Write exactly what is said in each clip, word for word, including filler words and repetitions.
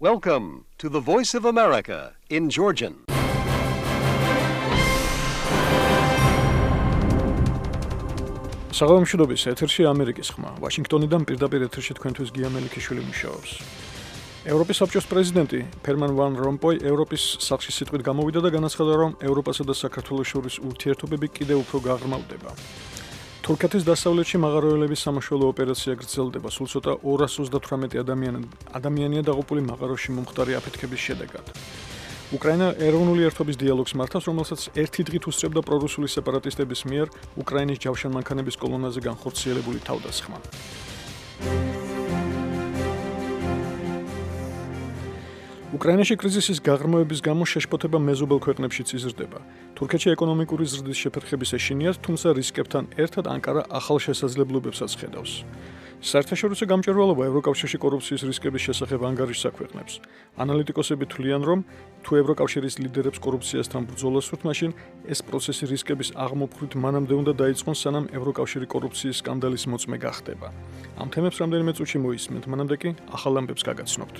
Welcome to the Voice of America in Georgian. საღამოშობის ეთერში ამერიკის ხმა. ვაშინგტონიდან პირდაპირ ეთერში თქვენთვის გია მელიქიშვილი მუშაობს. ევროპის საბჭოს პრეზიდენტი ჰერმან ვან რომპოი ევროპის სახლში სიტყვით გამოვიდა და განაცხადა, რომ ევროპასა და საქართველოს შორის ურთიერთობები კიდევ უფრო გაღრმავდება. თურქეთის დასავლეთში მაღაროელების სამაშველო ოპერაცია გრძელდება, სულ ცოტა ორას ოცდათვრამეტი ადამიანი ადამიანია დაღუპული მაღაროში მომხდარი აფეთქების შედეგად. უკრაინა ეროვნული ერთობის დიალოგს მართავს, რომელსაც ერთი დღით უსწრებდა პრორუსული სეპარატისტების მიერ უკრაინის ჯავშანმანქანების კოლონაზე განხორციელებული თავდასხმა. უკრაინაში კრიზისის გაღრმავების გამო შეშფოთება მეზობელ ქვეყნებშიც იზრდება. თურქეთში ეკონომიკური ზრდის შეფერხების ეშინიათ, თუმცა რისკებთან ერთად ანკარა ახალ შესაძლებლობებსაც ხედავს. საერთაშორისო გამჭვირვალობა ევროკავშირში კორუფციის რისკების შესახებ ანგარიშს აქვეყნებს. ანალიტიკოსები თვლიან, რომ თუ ევროკავშირის ლიდერებს კორუფციასთან ბრძოლას სურთ, მაშინ ეს პროცესი რისკების აღმოფხვით მანამდე უნდა დაიწყონ, სანამ ევროკავშირი კორუფციის სკანდალის მოწმე გახდება. ამ თემებს რამდენიმე წუთში მოისმენთ, მანამდე კი ახალ ამბებს გაგაცნობთ.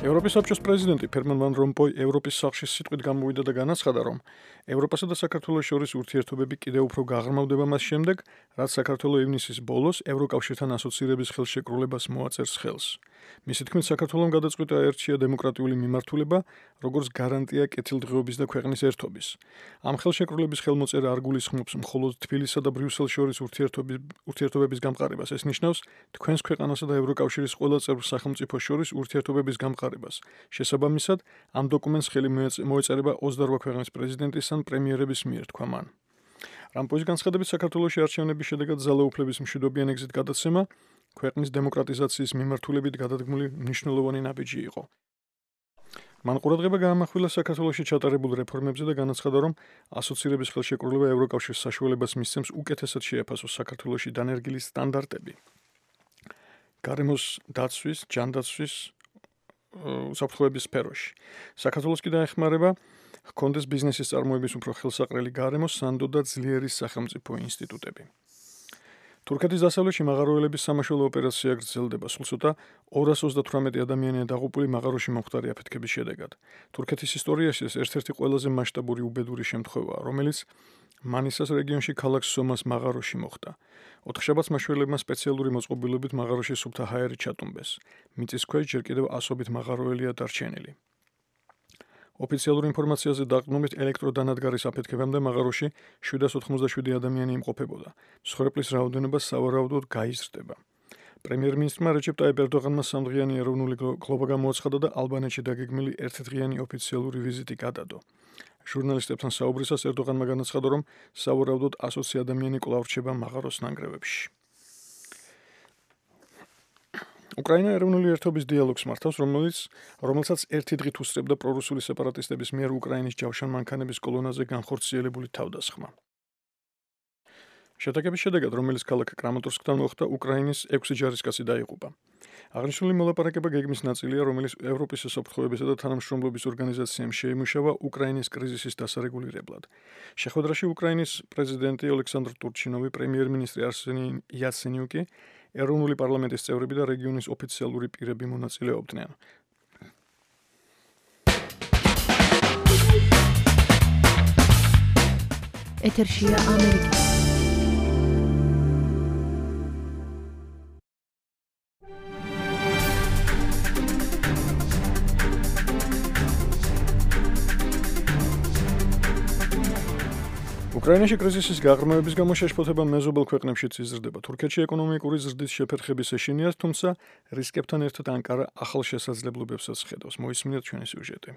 ევროპის საბჭოს პრეზიდენტი ჰერმან ვან რომპოი ევროპის სახლში სიტყვით გამოვიდა და განაცხადა, რომ ევროპასა და საქართველოს შორის ურთიერთობები კიდევ უფრო გაღრმავდება მას შემდეგ, რაც საქართველო ივნისის ბოლოს ევროკავშირთან ასოცირების ხელშეკრულებას მოაწერს ხელს. მისი თქმით, საქართველომ გადაწყვიტა აერჩია დემოკრატიული მიმართულება, როგორც გარანტია კეთილდღეობის და ქვეყნის ერთობის. ამ ხელშეკრულების ხელმოწერა არ გულისხმობს მხოლოდ თბილისსა და ბრიუსელს შორის ურთიერთობების გამყარებას. ეს ნიშნავს თქვენს ქვეყანასა და ევროკავშირის ყველა წევრ სახელმწიფოს შორის ურთიერთობების გამყარებას. შესაბამისად, ამ დოკუმენტს ხელი მოეწერება ოცდაორ ქვეყნის პრეზიდენტის ან პრემიერების მიერ, თქვა მან. რამპოის განცხადებით, საქართველოში არჩევნების შედეგად ძალაუფლების მშვიდობიან ეგზით გადაცემა ქვეყნის დემოკრატიზაციის მიმართულებით გადადგმული მნიშვნელოვანი ნაბიჯი იყო. მან ყურადღება გაამახვილა საქართველოში ჩატარებულ რეფორმებზე და განაცხადა, რომ ასოცირების ხელშეკრულება ევროკავშირის საშუალებას მისცემს უკეთესად შეაფასოს საქართველოში დანერგილი სტანდარტები. გარემოს დაცვის, ჯანდაცვის უსაფრთხოების სფეროში. საქართველოს კი დაეხმარება ჰქონდეს ბიზნესის წარმოების უფრო ხელსაყრელი გარემო, სანდო და ძლიერი სახელმწიფო ინსტიტუტები. თურქეთის დასავლეთში მაღაროელების სამაშველო ოპერაცია გრძელდება, სულ ცოტა ორას ოცდათვრამეტი ადამიანია დაღუპული მაღაროში მომხდარი აფეთქების შედეგად. თურქეთის ისტორიაში ეს ერთ-ერთი ყველაზე მასშტაბური უბედური შემთხვევაა, რომელიც მანისას რეგიონში ქალაქ სომას მაღაროში მოხდა. ოთხშაბათს მაშველებმა სპეციალური მოწყობილობით მაღაროში სუფთა ჰაერი ჩატუმბეს. მიწის ქვეშ ჯერ კიდევ ასობით მაღაროელია დარჩენილი. ოფიციალურ ინფორმაციაზე დაყრდნობით ელექტროდანადგარის აფეთქებამდე მაღაროში შვიდას ოთხმოცდაშვიდი ადამიანი იმყოფებოდა. მსხვერპლის რაოდენობა სავარაუდოდ გაიზრდება. პრემიერ-მინისტრმა რეჯეპ ტაიპ ერდოღანმა სამდღიანი ეროვნული გლობა გამოაცხადა და ალბანეთში დაგეგმილი ერთდღიანი ოფიციალური ვიზიტი გადადო. ჟურნალისტებთან საუბრისას ერდოღანმა განაცხადა, რომ სავარაუდოდ ასოცი ადამიანი კვლავ რჩება მაღაროს ნანგრევებში. უკრაინა ეროვნული ერთობის დიალოგს მართავს, რომელიც რომელსაც ერთი დღით უსწრებდა პრორუსული სეპარატისტების მიერ უკრაინის ჯავშანმანქანების კოლონაზე განხორციელებული თავდასხმა. შეტაკების შედეგად, რომელიც ქალაქ კრამატორსკთან მოხდა, უკრაინის ექვსი ჯარისკაცი დაიღუპა. აღნიშნული მოლაპარაკება გეგმის ნაწილია, რომელიც ევროპის საფრთხოებისა და თანამშრომლობის ორგანიზაციამ შეიმუშავა უკრაინის კრიზისის დასარეგულირებლად. შეხვედრაში უკრაინის პრეზიდენტი ოლექსანდრ ტურჩინოვი, პრემიერ-მინისტრი არსენი იაცენიუკი, ეროვნული პარლამენტის წევრები და რეგიონის ოფიციალური პირები მონაწილეობდნენ. ეთერშია ამერიკის უკრაინაში კრიზისის გაღრმავების გამო შეშფოთება მეზობელ ქვეყნებშიც იზრდება. თურქეთში ეკონომიკური ზრდის შეფერხების ეშინიათ, თუმცა რისკებთან ერთად ანკარა ახალ შესაძლებლობებსაც ხედავს. მოისმინეთ ჩვენი სიუჟეტი.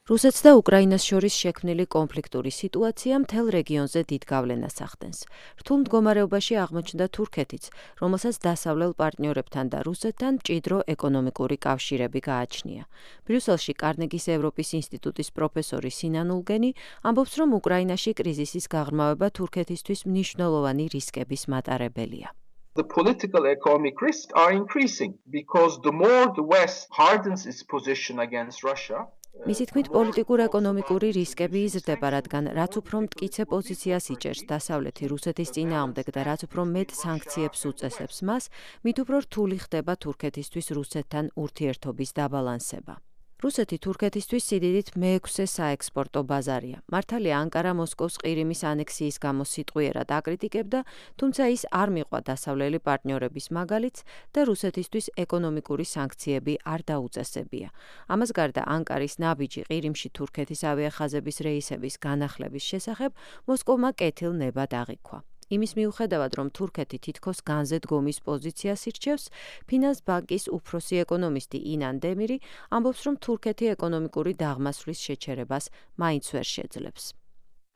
რუსეთს და უკრაინას შორის შექმნილი კონფლიქტური სიტუაცია მთელ რეგიონზე დიდ გავლენას ახდენს. რთულ მდგომარეობაში აღმოჩნდა თურქეთიც, რომელსაც დასავლელ პარტნიორებთან და რუსეთთან მჭიდრო ეკონომიკური კავშირები გააჩნია. ბრიუსელში კარნეგის ევროპის ინსტიტუტის პროფესორი სინან ულგენი ამბობს, რომ უკრაინაში კრიზისის გაღრმავება თურქეთისთვის მნიშვნელოვანი რისკების მატარებელია. The political economic risks are increasing because the more the West hardens its position against Russia, მისი თქმით, პოლიტიკურ-ეკონომიკური რისკები იზრდება, რადგან რაც უფრო მტკიცე პოზიციას იჭერს დასავლეთი რუსეთის წინააღმდეგ და რაც უფრო მეტ სანქციებს უწესებს მას, მით უფრო რთული ხდება თურქეთისთვის რუსეთთან ურთიერთობის დაბალანსება. რუსეთი თურქეთისთვის სიდიდით მეექვსე საექსპორტო ბაზარია. მართალია ანკარა მოსკოვს ყირიმის ანექსიის გამო სიტყვიერად აკრიტიკებდა, თუმცა ის არ მიყვა დასავლელი პარტნიორების მაგალითს და რუსეთისთვის ეკონომიკური სანქციები არ დაუწესებია. ამას გარდა ანკარის ნაბიჯი ყირიმში თურქეთის ავიახაზების რეისების განახლების შესახებ მოსკოვმა კეთილ-ნებად აღიქვა. იმის მიუხედავად, რომ თურქეთი თითქოს განზედგომის პოზიციას ირჩევს, ფინანს ბანკის უფროსი ეკონომისტი ინან დემირი ამბობს, რომ თურქეთი ეკონომიკური დაღმასვლის შეჩერებას მაინც ვერ შეძლებს.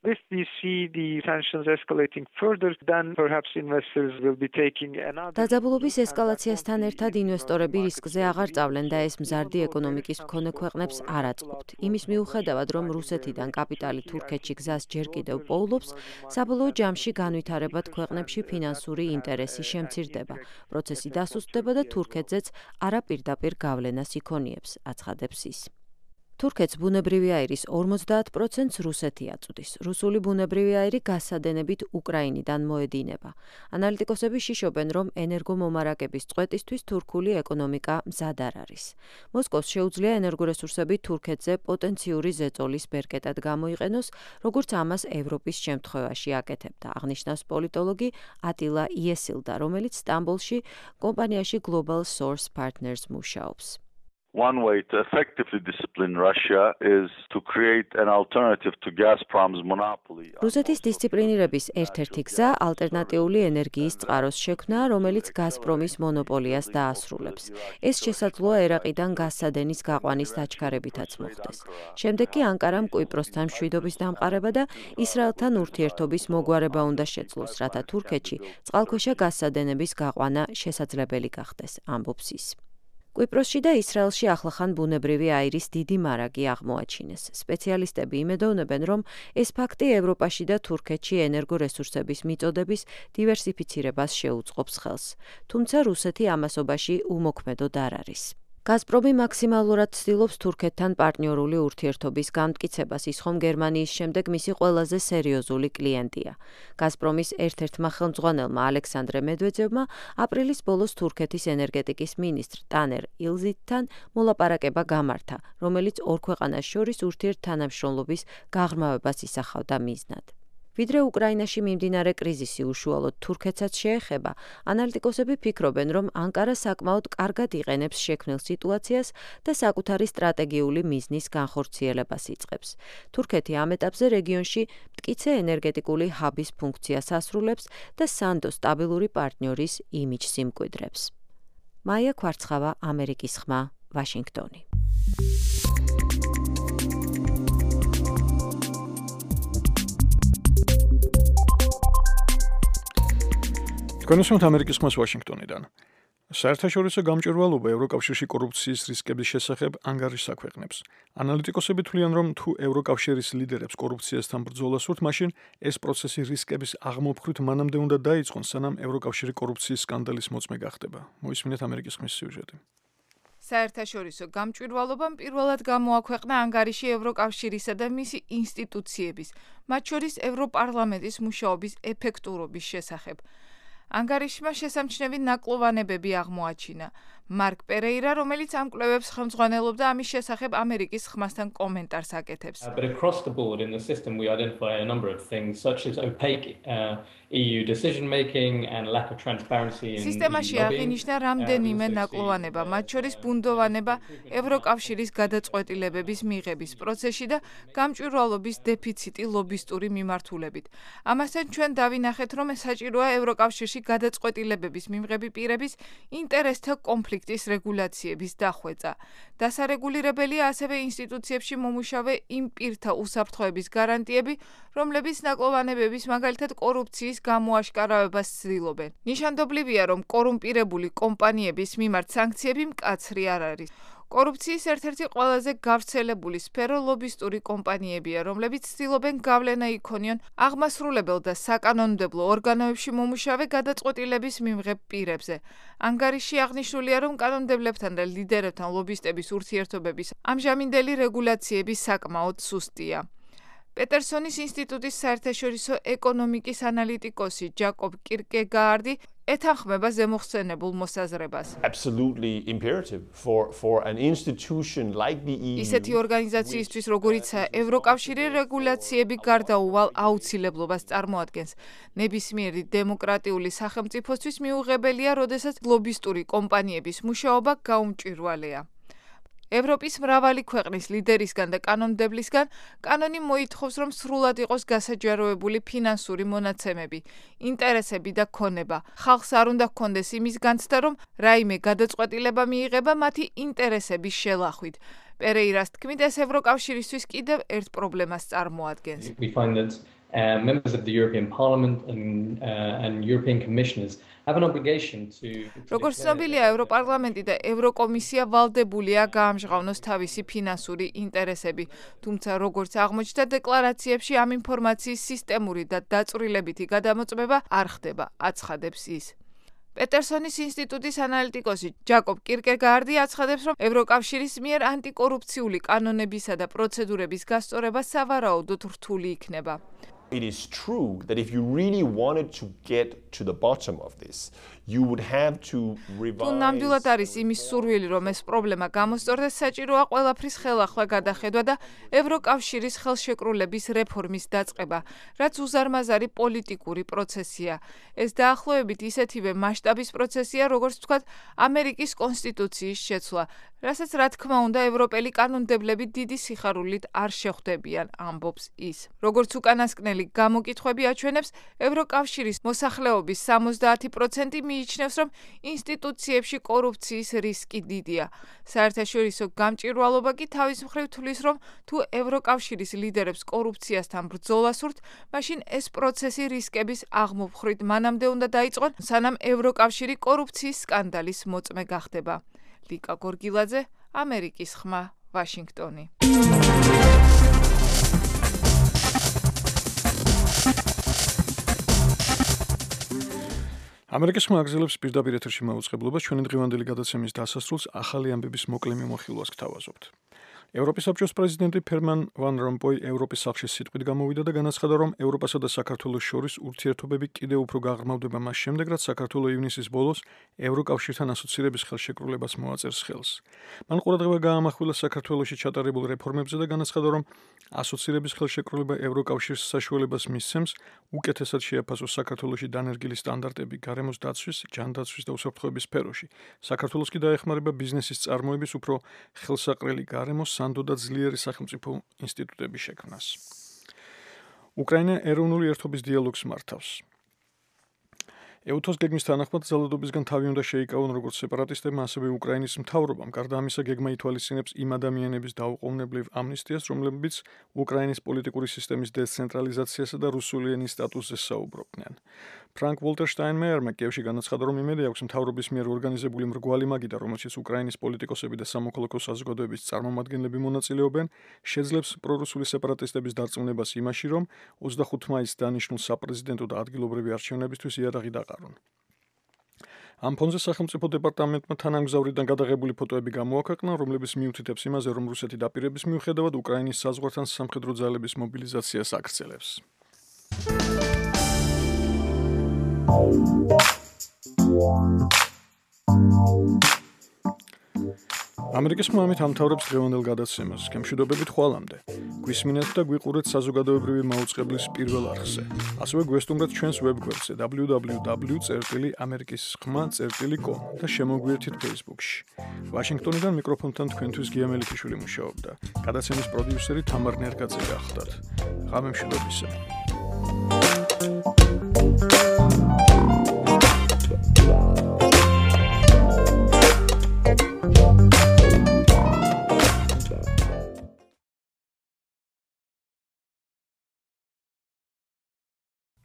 If we see the sanctions escalating further, then perhaps investors will be taking another. დაძაბულობის ესკალაციასთან ერთად ინვესტორები რისკზე აღარ წავლენ და ეს მზარდი ეკონომიკის მქონე ქვეყნებს არ აწყობთ. იმის მიუხედავად, რომ რუსეთიდან კაპიტალი თურქეთში გზას ჯერ კიდევ პოულობს, საბოლოო ჯამში განვითარებად ქვეყნებში ფინანსური ინტერესი შემცირდება. პროცესი დასუსტდება და თურქეთზეც არაპირდაპირ გავლენას იქონიებს, აცხადებს ის. თურქეთს ბუნებრივი აირის ორმოცდაათ პროცენტს რუსეთი აწვდის. რუსული ბუნებრივი აირი გასადენებით უკრაინიდან მოედინება. ანალიტიკოსები შიშობენ, რომ ენერგომომარაგების წვეტისთვის თურქული ეკონომიკა მზად არ არის. მოსკოვს შეუძლია ენერგორესურსები თურქეთზე პოტენციური ზეწოლის ბერკეტად გამოიყენოს, როგორც ამას ევროპის შემთხვევაში აკეთებდა, აღნიშნავს პოლიტოლოგი ატილა იესილდა, რომელიც სტამბოლში კომპანიაში Global Source Partners მუშაობს. One way to effectively discipline Russia is to create an alternative to Gazprom's monopoly. რუსეთის დისციპლინირების ერთ-ერთი გზა ალტერნატიული ენერგიის წყაროს შექმნა, რომელიც გაზპრომის მონოპოლიას დაასრულებს. ეს შესაძლოა ერაყიდან გაზსადენის გაყვანის დაჩქარებითაც მოხდეს. შემდეგ კი ანკარამ კვიპროსთან მშვიდობის დამყარება და ისრაელთან ურთიერთობის მოგვარება უნდა შეძლოს, რათა თურქეთში წყალქვეშა გაზსადენების გაყვანა შესაძლებელი გახდეს, ამბობს ის. კვიპროსში და ისრაელში ახლახან ბუნებრივი აირის დიდი მარაგი აღმოაჩინეს. სპეციალისტები იმედოვნებენ, რომ ეს ფაქტი ევროპაში და თურქეთში ენერგორესურსების მიწოდების დივერსიფიცირებას შეუწყობს ხელს. თუმცა რუსეთი ამასობაში უმოქმედოდ არ არის. გაზპრომი მაქსიმალურად ცდილობს თურქეთთან პარტნიორული ურთიერთობის გამტკიცებას, ის ხომ გერმანიის შემდეგ მისი ყველაზე სერიოზული კლიენტია. გაზპრომის ერთ-ერთმა ხელმძღვანელმა ალექსანდრე მედვედევმა აპრილის ბოლოს თურქეთის ენერგეტიკის მინისტრ ტანერ ილზითთან მოლაპარაკება გამართა, რომელიც ორ ქვეყანას შორის ურთიერთთანამშრომლობის გაღრმავებას ისახავდა მიზნად. ვიდრე უკრაინაში მიმდინარე კრიზისი უშუალოდ თურქეთსაც შეეხება, ანალიტიკოსები ფიქრობენ, რომ ანკარა საკმაოდ კარგად იყენებს შექმნილ სიტუაციას და საკუთარი სტრატეგიული მიზნის განხორციელებას იწყებს. თურქეთი ამ ეტაპზე რეგიონში მტკიცე ენერგეტიკული ჰაბის ფუნქციას ასრულებს და სანდო სტაბილური პარტნიორის იმიჯს იმკვიდრებს. მაია ქვარცხავა, ამერიკის ხმა, ვაშინგტონი. კონსულტანტ ამერიკის ხმას ვაშინგტონიდან. საერთაშორისო გამჭვირვალობა ევროკავშირში კორუფციის რისკების შესახებ ანგარიშს აქვეყნებს. ანალიტიკოსები თვლიან, რომ თუ ევროკავშირის ლიდერებს კორუფციასთან ბრძოლა სურთ, მაშინ ეს პროცესი რისკების აღმოფხვით მანამდე უნდა დაიწყონ, სანამ ევროკავშირი კორუფციის სკანდალის მოწმე გახდება. მოისმინეთ ამერიკის ხმის სიუჟეტი. საერთაშორისო გამჭვირვალობამ პირველად გამოაქვეყნა ანგარიში ევროკავშირისა და მისი ინსტიტუციების, მათ შორის ევროპარლამენტის მუშაობის ეფექტურობის შესახებ. ანგარიშმა შესამჩნევი ნაკლოვანებები აღმოაჩინა. მარკ პერეირა, რომელიც ამ კვლევებს ხელმძღვანელობდა, ამის შესახებ ამერიკის ხმასთან კომენტარს აკეთებს. But across the board in the system we identify a number of things such as opaque uh, E U decision making and lack of transparency in სისტემაში აღინიშნა რამდენიმე ნაკლოვანება, მათ შორის ბუნდოვანება ევროკავშირის გადაწყვეტილებების მიღების პროცესში და გამჭვირვალობის დეფიციტი ლობისტური მიმართულებით. ამასთან ჩვენ დავინახეთ, რომ საჭიროა ევროკავშირში გადაწყვეტილებების მიმღები პირების ინტერესთა კონფლიქტის რეგულაციების დახვეწა. დასარეგულირებელია ასევე ინსტიტუციებში მომუშავე იმ პირთა უსაფრთხოების გარანტიები, რომლებიც ნაკლოვანებების, მაგალითად კორუფციის გამოაშკარავებას ცდილობენ. ნიშანდობლივია, რომ კორუმპირებული კომპანიების მიმართ სანქციები მკაცრი არ არის. კორუფციის ერთ-ერთი ყველაზე გავრცელებული სფერო ლობისტური კომპანიებია, რომლებიც ცდილობენ გავლენა იქონიონ აღმასრულებელ და საკანონმდებლო ორგანოებში მომუშავე გადაწყვეტილების მიმღებ პირებზე. ანგარიში აღნიშნულია, რომ კანონმდებლებთან და ლიდერებთან ლობისტების ურთიერთობების ამჟამინდელი რეგულაციები საკმაოდ სუსტია. პეტერსონის ინსტიტუტის საერთაშორისო ეკონომიკის ანალიტიკოსი ჯაკობ კირკეგაარდი ეთანხმება ზემოხსენებულ მოსაზრებას. Absolutely imperative for for an institution like the E U. ისეთი ორგანიზაციისთვის, როგორიცაა ევროკავშირი, რეგულაციები გარდაუვალ აუცილებლობას წარმოადგენს. ნებისმიერი დემოკრატიული სახელმწიფოსთვის მიუღებელია, როდესაც ლობისტური კომპანიების მუშაობა გაუმჭვირვალეა. ევროპის მრავალი ქვეყნის ლიდერისგან და კანონმდებლისგან კანონი მოითხოვს, რომ სრულად იყოს გასაჯაროებული ფინანსური მონაცემები, ინტერესები და ქონება. ხალხს არ უნდა ჰქონდეს იმის განცდა, რომ რაიმე გადაწყვეტილება მიიღება მათი ინტერესების შელახვით. პერეირას თქმით, ეს ევროკავშირისთვის კიდევ ერთ პრობლემას წარმოადგენს. We find that uh, members of the European Parliament and, uh, and European commissioners have an obligation to როგორც ცნობილია, ევროპარლამენტი და ევროკომისია ვალდებულია გაამჟღავნოს თავისი ფინანსური ინტერესები, თუმცა როგორც აღმოჩნდა დეკლარაციებში, ამ ინფორმაციის სისტემური და დაწვრილებითი გადამოწმება არ ხდება, აცხადებს ის. პეტერსონის ინსტიტუტის ანალიტიკოსი ჯაკობ კირკეგაარდი აცხადებს, რომ ევროკავშირის მიერ ანტიკორუფციული კანონებისა და პროცედურების გასწორება სავარაუდოდ რთული იქნება. It is true that if you really wanted to get to the bottom of this, you would have to revise. თუ ნამდვილად არის იმის სურვილი, რომ ეს პრობლემა გამოსწორდეს, საჭიროა ყველაფრის ხელახლა გადახედვა და ევროკავშირის ხელშეკრულების რეფორმის დაწყება, რაც უზარმაზარი პოლიტიკური პროცესია. ეს დაახლოებით ისეთივე მასშტაბის პროცესია, როგორც ვთქვათ, ამერიკის კონსტიტუციის შეცვლა, რასაც რა თქმა უნდა ევროპელი კანონმდებლები დიდი სიხარულით არ შეხვდებიან, ამბობს ის. როგორც უკანასკნელი გამოკითხვები აჩვენებს, ევროკავშირის მოსახლეობის სამოცდაათი პროცენტი მიიჩნევს, რომ ინსტიტუციებში კორუფციის რისკი დიდია. საერთაშორისო გამჭვირვალობა კი თავის მხრივ თვლის, რომ თუ ევროკავშირის ლიდერებს კორუფციასთან ბრძოლა სურთ, მაშინ ეს პროცესი რისკების აღმოფხვრით მანამდე უნდა დაიწყონ, სანამ ევროკავშირი კორუფციის სკანდალის მოწმე გახდება. ლიკა გორგილაძე, ამერიკის ხმა, ვაშინგტონი. ამერიკის ხმა აგზელებს პირდაპირ ეთერში მაუწყებლობას ჩვენი დღევანდელი გადაცემის დასასრულს ახალი ამბების მოკლე მიმოხილვას გთავაზობთ. ევროპის საბჭოს პრეზიდენტი ფერმან ვან რომპოი ევროპის სახლში სიტყვით გამოვიდა და განაცხადა, რომ ევროპასა და საქართველოს შორის ურთიერთობები კიდევ უფრო გაღრმავდება მას შემდეგ, რაც საქართველო ივნისის ბოლოს ევროკავშირთან ასოცირების ხელშეკრულებას მოაწერს ხელს. მან ყურადღება გაამახვილა საქართველოში ჩატარებულ რეფორმებზე და განაცხადა, რომ ასოცირების ხელშეკრულება ევროკავშირს საშუალებას მისცემს უკეთესად შეაფასოს საქართველოში დანერგილი სტანდარტები გარემოს დაცვის, ჯანდაცვის და უსაფრთხოების სფეროში. საქართველოს კი დაეხმარება ბიზნესის წარმოების უფრო ხელსაყრელი გარემოს სანდო და ძლიერი სახელმწიფო ინსტიტუტების შექმნას. უკრაინა ეროვნული ერთობის დიალოგს მართავს. ეუთოს გეგმის თანახმად ძალადობისგან თავი უნდა შეიკავონ როგორც სეპარატისტებმა, ასევე უკრაინის მთავრობამ. გარდა ამისა, გეგმა ითვალისწინებს იმ ადამიანების დაუყოვნებლივ ამნისტიას, რომლებიც უკრაინის პოლიტიკური სისტემის დეცენტრალიზაციასა და რუსული ენის სტატუსზე საუბრობდნენ. ფრანკ ვოლტერ შტაინმეიერმა კიევში განაცხადა, რომ იმედი აქვს მთავრობის მიერ ორგანიზებული მრგვალი მაგიდა, რომელშიც უკრაინის პოლიტიკოსები და სამოქალაქო საზოგადოების წარმომადგენლები მონაწილეობენ, შეძლებს პრორუსული სეპარატისტების დარწმუნებას იმაში, რომ ოცდახუთი მაისს დანიშნულ საპრეზიდენტო და ადგილობრივი არჩევნებისთვის იარაღი დაყარონ. ამ ფონზე სახელმწიფო დეპარტამენტმა თანამგზავრიდან გადაღებული ფოტოები გამოაქვეყნა, რომლებიც მიუთითებს იმაზე, რომ რუსეთი დაპირების მიუხედავად უკრაინის საზღვართან სამხედრო ძალების მობილიზაციას აგრძელებს. ამერიკის ხმა ამით ამთავრებს დღევანდელ გადაცემას. გემშვიდობებით ხვალამდე. გვისმინეთ და გვიყურეთ საზოგადოებრივი მაუწყებლის პირველ არხზე. ასევე გვესტუმრეთ ჩვენს ვებგვერდზე დაბლიუ დაბლიუ დაბლიუ წერტილი ამერიკის ხმა წერტილი კომ და შემოგვიერთით Facebook-ში. ვაშინგტონიდან მიკროფონთან თქვენთვის გია მელიქიშვილი მუშაობდა. გადაცემის პროდიუსერი თამარ ნერგაძე გახლდათ. ღამე მშვიდობისა.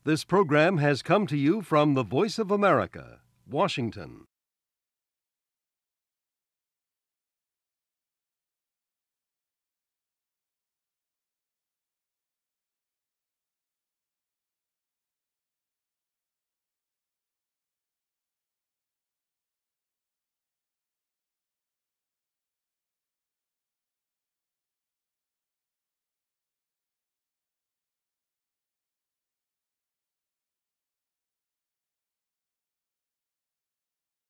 This program has come to you from the Voice of America, Washington.